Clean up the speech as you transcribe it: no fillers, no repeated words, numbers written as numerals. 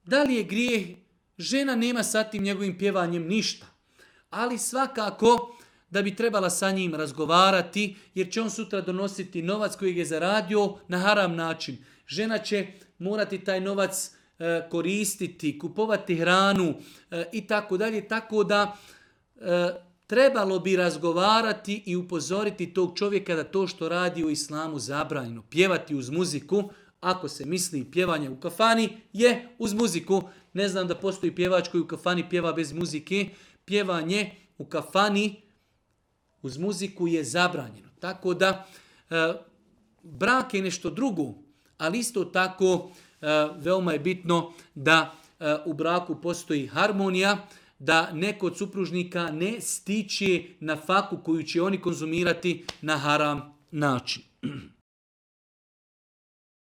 Da li je grijeh? Žena nema sa tim njegovim pjevanjem ništa. Ali svakako da bi trebala sa njim razgovarati, jer će on sutra donositi novac kojeg je zaradio na haram način. Žena će morati taj novac koristiti, kupovati hranu i tako dalje. Tako da trebalo bi razgovarati i upozoriti tog čovjeka da to što radi u islamu zabranjeno. Pjevati uz muziku, ako se misli pjevanje u kafani, je uz muziku. Ne znam da postoji pjevač koji u kafani pjeva bez muzike. Pjevanje u kafani uz muziku je zabranjeno. Tako da brak je nešto drugo, ali isto tako veoma je bitno da u braku postoji harmonija, da neko od supružnika ne stiče na faku koju će oni konzumirati na haram način.